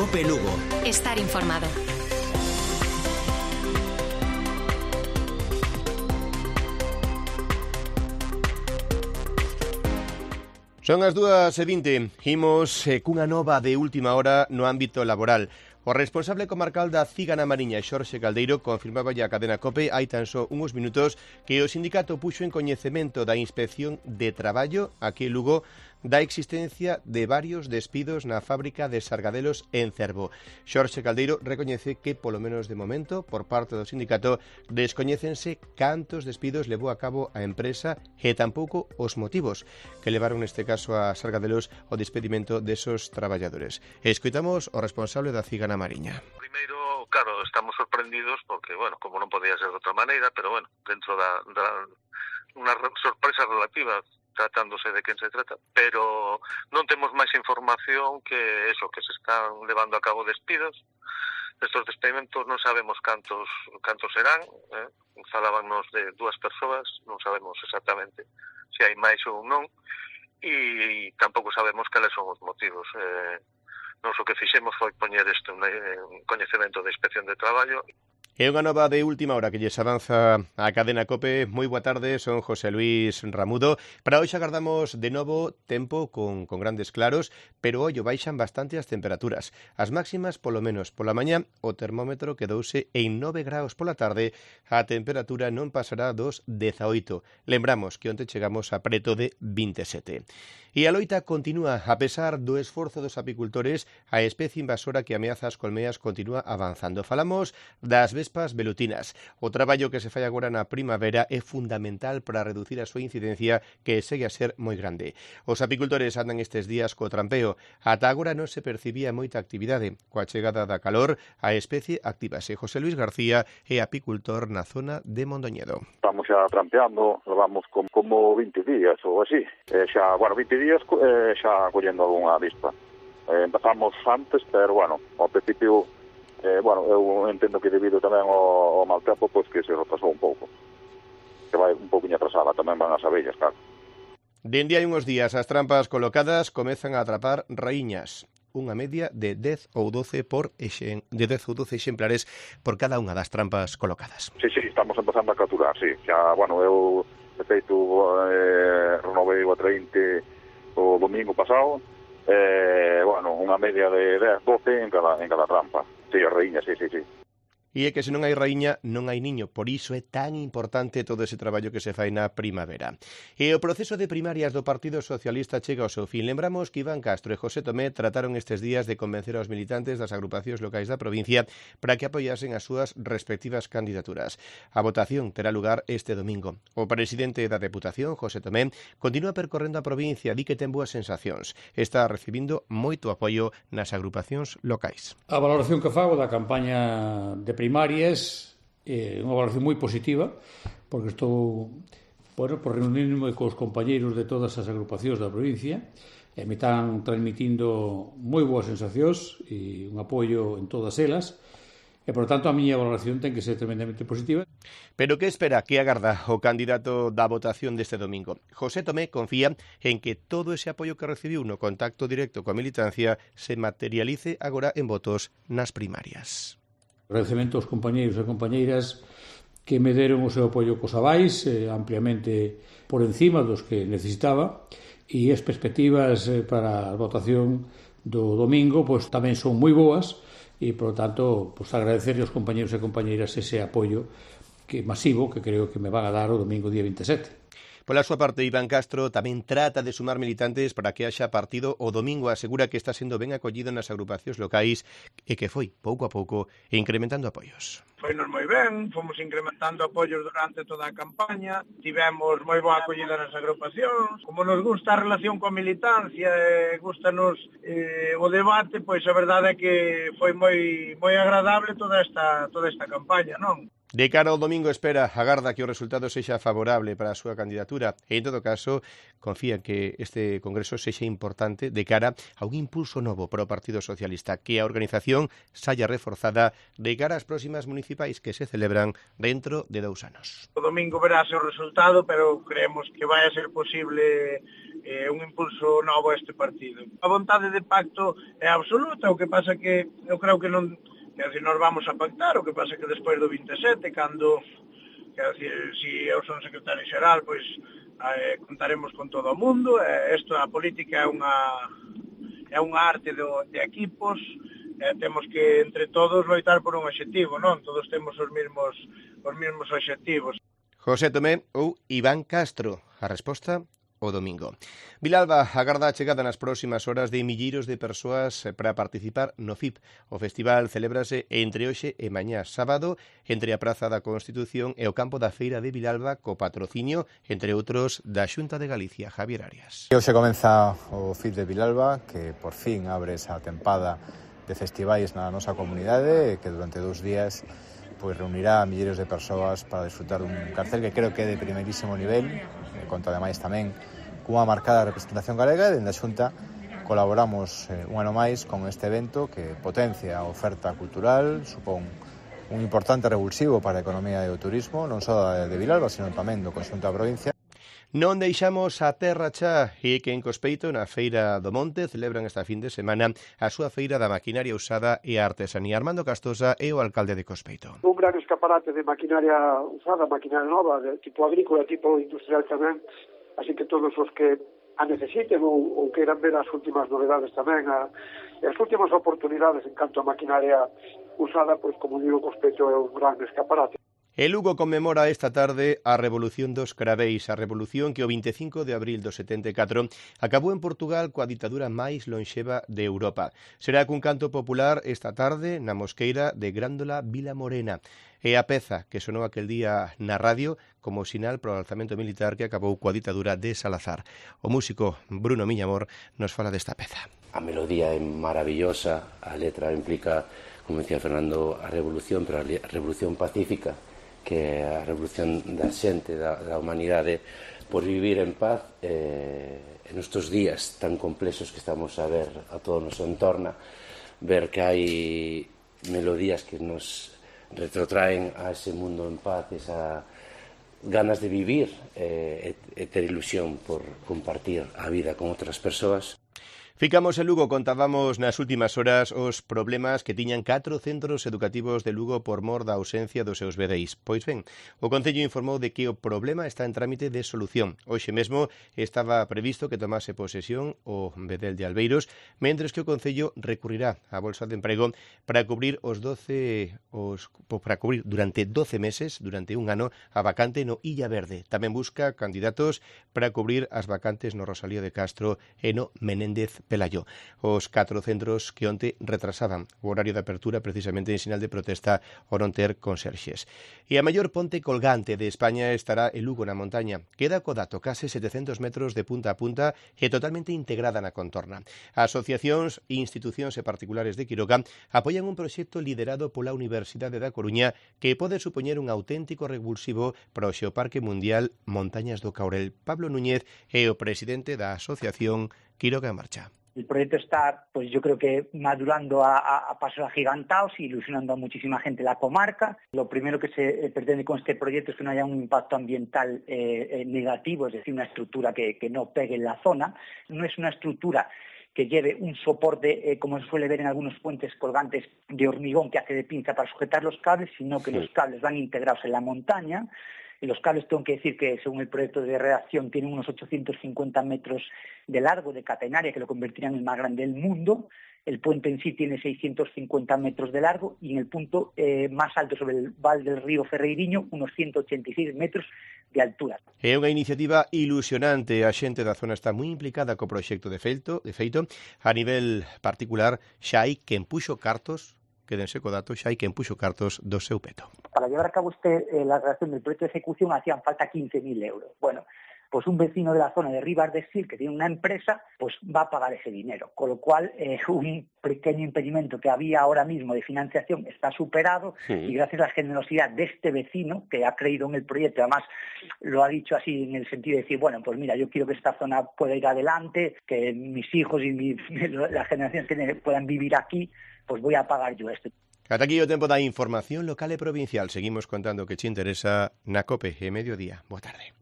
COPE Lugo. Estar informado. Son as 2:20. Imos cunha nova de última hora no ámbito laboral. O responsable comarcal da CIG na Mariña, Xorxe Caldeiro, confirmaba a cadena COPE hai tan só uns minutos que o sindicato puxo en coñecemento da Inspección de Traballo aquí en Lugo da existencia de varios despidos na fábrica de Sargadelos en Cervo. Xorxe Caldeiro recoñece que, polo menos de momento, por parte do sindicato, descoñécense cantos despidos levou a cabo a empresa e tampouco os motivos que levaron neste caso a Sargadelos ao despedimento desos traballadores. Escoitamos o responsable da CIG na Mariña. Primeiro, claro, estamos sorprendidos porque, bueno, como non podía ser de outra maneira, pero, bueno, dentro da unha sorpresa relativa tratándose de quen se trata, pero non temos máis información que eso, que se están levando a cabo despidos. Estos despedimentos non sabemos cantos serán, falábanos de 2 persoas, non sabemos exactamente se hai máis ou non, e tampouco sabemos cales son os motivos. Nos o que fixemos foi poñer isto en coñecemento da Inspección de Traballo. É unha nova de última hora que lles avanza a cadena COPE. Moi boa tarde, son José Luis Ramudo. Para hoxe agardamos de novo tempo con grandes claros, pero ollo, baixan bastante as temperaturas. As máximas, polo menos pola mañá, o termómetro quedouse en 9 graus pola tarde. A temperatura non pasará dos 18. Lembramos que onte chegamos a preto de 27. E a loita continúa, a pesar do esforzo dos apicultores, a especie invasora que ameaza as colmeas continúa avanzando. Falamos das vespas velutinas. O traballo que se fai agora na primavera é fundamental para reducir a súa incidencia, que segue a ser moi grande. Os apicultores andan estes días co trampeo. Ata agora non se percibía moita actividade. Coa chegada da calor, a especie actívase. José Luis García é apicultor na zona de Mondoñedo. Estamos xa trampeando, levamos como 20 días ou así. 20 días xa collendo algunha avispa. Empezamos antes, pero, bueno, ao principio, eu entendo que debido tamén ao mal tempo, pois que se retrasou un pouco. Que vai un pouquinho atrasada, tamén van as abellas, claro. Dende hai uns días, as trampas colocadas comezan a atrapar raíñas. Unha media de 10 ou 12 exemplares por cada unha das trampas colocadas. Sí, estamos empezando a capturar, sí. Xa, eu, de feito, renovei o 30 o domingo pasado, unha media de 10, 12 en cada trampa. Sí, a raíña, sí. E é que se non hai raíña, non hai niño. Por iso é tan importante todo ese traballo que se fai na primavera. E o proceso de primarias do Partido Socialista chega ao seu fin. Lembramos que Iván Castro e José Tomé trataron estes días de convencer aos militantes das agrupacións locais da provincia para que apoyasen as súas respectivas candidaturas. A votación terá lugar este domingo. O presidente da Deputación, José Tomé, continúa percorrendo a provincia, di que ten boas sensacións. Está recibindo moito apoio nas agrupacións locais. A valoración que fago da campaña de primarias é unha valoración moi positiva, porque estou por reunirme cos compañeiros de todas as agrupacións da provincia e me están transmitindo moi boas sensacións e un apoio en todas elas e, por tanto, a miña valoración ten que ser tremendamente positiva. Pero que espera, que agarda o candidato da votación deste domingo? José Tomé confía en que todo ese apoio que recibiu no contacto directo coa militancia se materialice agora en votos nas primarias. Agradecemento aos compañeiros e compañeiras que me deron o seu apoio cos avais, ampliamente por encima dos que necesitaba, e as perspectivas para a votación do domingo pois tamén son moi boas, e, por tanto, agradecerle aos compañeiros e compañeiras ese apoio masivo que creo que me van a dar o domingo día 27. Pola súa parte, Iván Castro tamén trata de sumar militantes para que haxa partido o domingo. Asegura que está sendo ben acollido nas agrupacións locais e que foi, pouco a pouco, incrementando apoios. Foinos moi ben, fomos incrementando apoios durante toda a campaña, tivemos moi boa acollida nas agrupacións. Como nos gusta a relación coa militancia e gustanos o debate, pois a verdade é que foi moi agradable toda esta campaña, non? De cara ao domingo agarda que o resultado sexa favorable para a súa candidatura e, en todo caso, confía que este congreso sexa importante de cara a un impulso novo para o Partido Socialista, que a organización saia reforzada de cara ás próximas municipais que se celebran dentro de 2 anos. O domingo verase o resultado, pero creemos que vai a ser posible un impulso novo a este partido. A vontade de pacto é absoluta, o que pasa que eu creo que non, que decir, nos vamos a pactar, o que pasa que despois do 27, cando, que decir, si eu son secretario xeral, pois contaremos con todo o mundo, isto, a política é unha arte de equipos, temos que entre todos loitar por un obxectivo, non? Todos temos os mesmos obxectivos. José Tomé ou Iván Castro, a resposta o domingo. Vilalba agarda a chegada nas próximas horas de milleiros de persoas para participar no FIP. O festival celébrase entre hoxe e mañá sábado entre a Praza da Constitución e o campo da Feira de Vilalba co patrocinio, entre outros, da Xunta de Galicia. Javier Arias. Hoxe comeza o FIP de Vilalba, que por fin abre esa tempada de festivais na nosa comunidade, que durante 2 días pois reunirá a milleiros de persoas para disfrutar dun cartel que creo que é de primeirísimo nivel, conta ademais tamén cunha marcada representación galega, e dende a Xunta colaboramos un ano máis con este evento que potencia a oferta cultural, supón un importante revulsivo para a economía e o turismo, non só de Vilalba, sino tamén do conxunto da provincia. Non deixamos a terra xa, e que en Cospeito, na Feira do Monte, celebran esta fin de semana a súa feira da maquinaria usada e a artesanía. Armando Castosa é o alcalde de Cospeito. Un gran escaparate de maquinaria usada, maquinaria nova, de tipo agrícola, tipo industrial tamén, así que todos os que a necesiten ou queiran ver as últimas novedades tamén, as últimas oportunidades en canto a maquinaria usada, pois como digo, Cospeito é un gran escaparate. E Lugo conmemora esta tarde a Revolución dos Craveis, a revolución que o 25 de abril do 74 acabou en Portugal coa ditadura máis lonxeva de Europa. Será cun canto popular esta tarde na mosqueira de Grándola Vila Morena. É a peza que sonou aquel día na radio como sinal para o alzamento militar que acabou coa ditadura de Salazar. O músico Bruno Miñamor nos fala desta peza. A melodía é maravillosa, a letra implica, como decía Fernando, a revolución, pero a revolución pacífica, que é a revolución da xente, da humanidade, por vivir en paz en estes días tan complexos que estamos a ver a todo o noso entorno, ver que hai melodías que nos retrotraen a ese mundo en paz, esa ganas de vivir e ter ilusión por compartir a vida con outras persoas. Ficamos en Lugo, contábamos nas últimas horas os problemas que tiñan 4 centros educativos de Lugo por mor da ausencia dos seus vedeis. Pois ben, o Concello informou de que o problema está en trámite de solución. Hoxe mesmo estaba previsto que tomase posesión o vedel de Albeiros, mentres que o Concello recurrirá á Bolsa de Emprego para cubrir durante 12 meses, durante un ano, a vacante no Illa Verde. Tamén busca candidatos para cubrir as vacantes no Rosalía de Castro e no Menéndez Pelayo. Os 4 centros que onte retrasaban o horario de apertura precisamente en sinal de protesta ao non ter conserxes. E a maior ponte colgante de España estará en Lugo, na montaña. Queda co dato, case 700 metros de punta a punta e totalmente integrada na contorna. Asociacións, institucións e particulares de Quiroga apoian un proxecto liderado pola Universidade da Coruña que pode supoñer un auténtico revulsivo para o Xeoparque Mundial Montañas do Caurel. Pablo Núñez é o presidente da Asociación Quiroga en Marcha. El proyecto está, pues yo creo que madurando a pasos agigantados y ilusionando a muchísima gente en la comarca. Lo primero que se pretende con este proyecto es que no haya un impacto ambiental negativo, es decir, una estructura que no pegue en la zona. No es una estructura que lleve un soporte, como se suele ver en algunos puentes colgantes de hormigón que hace de pinza para sujetar los cables, sino que los cables van integrados en la montaña. Y los cables, tengo que decir que según el proyecto de redacción tienen unos 850 metros de largo de catenaria, que lo convertirían en el más grande del mundo. El puente en sí tiene 650 metros de largo y en el punto más alto sobre el val del río Ferreiriño, unos 186 metros de altura. É unha iniciativa ilusionante. A xente da zona está moi implicada co proxecto de feito, a nivel particular xa hai quen puxo cartos, quédense co dato, xa hai quen puxo cartos do seu peto. Para llevar a cabo la redacción del proyecto de ejecución hacían falta 15.000 euros. Bueno, pues un vecino de la zona de Ribas de Sil, que tiene una empresa, pues va a pagar ese dinero. Con lo cual, un pequeño impedimento que había ahora mismo de financiación está superado y gracias a la generosidad de este vecino, que ha creído en el proyecto, además lo ha dicho así en el sentido de decir, bueno, pues mira, yo quiero que esta zona pueda ir adelante, que mis hijos y las generaciones que puedan vivir aquí, pues voy a pagar yo esto. Ata aquí o tempo da información local e provincial. Seguimos contando que che interesa na COPE e Mediodía. Boa tarde.